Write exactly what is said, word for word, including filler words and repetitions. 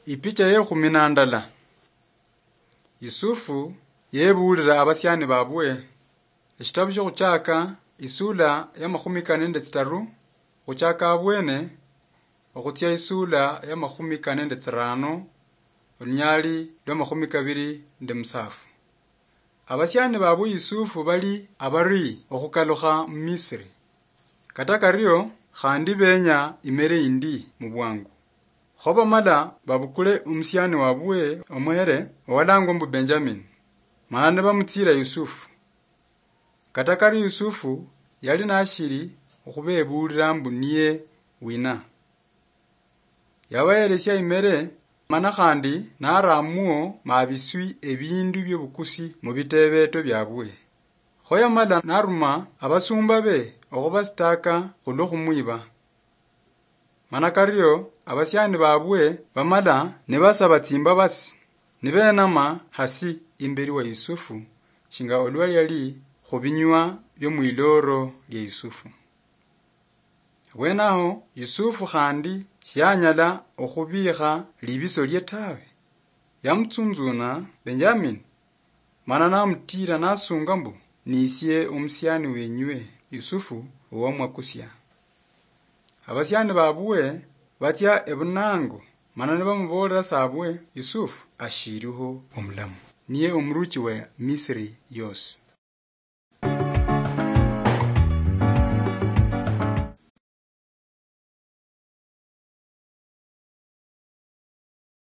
Ipicha ye khumi na ndala. Yusufu yebuulira abasiani babwe. Eshitabu shiokhutsaaka, isula ya makhumi kane nende tsitaru, khutsaaka abwene okhutsia isula ya makhumi kane nende tsirano, olunyali lwa makhumi kabiri nende musafu. Abasiani babwe Yusufu bali abari okhukalukha mu Misiri. Kata kario, khandi benya imere indi mubwangu. Kho bamala babukule omusiani wabwe omuhere owalangwa mbu Benjamin, mana nibamutsira Yusufu. Kata kario Yusufu yali nashiri okhubebuulira mbu niye wina. Yabaheresia imere, mana khandi naramwo mabiswi ebindu biobukusi mubitebeto biabwe. Kho yamala naruma abasumba be okhubasitaka khulwo khumwiba. Mana kario abasiani babwe bamala nibasaba tsimbabasi, nibenama hasi imberi wa Yusufu, shinga olwa liali khubinywa biomwiloro lia Yusufu. Bwenaho Yusufu khandi shianyala okhubiikha libiso lie tawe. Yamutsunzuna Benjamin, mana namutira nasunga mbu, "Nisie omusiani wenywe Yusufu owamwakusia." Abasiani babwe batsia ebunango, mana nibamubolera sabwe Yusufu ashiriho omulamu, niye omuruchi wa Misiri yosi.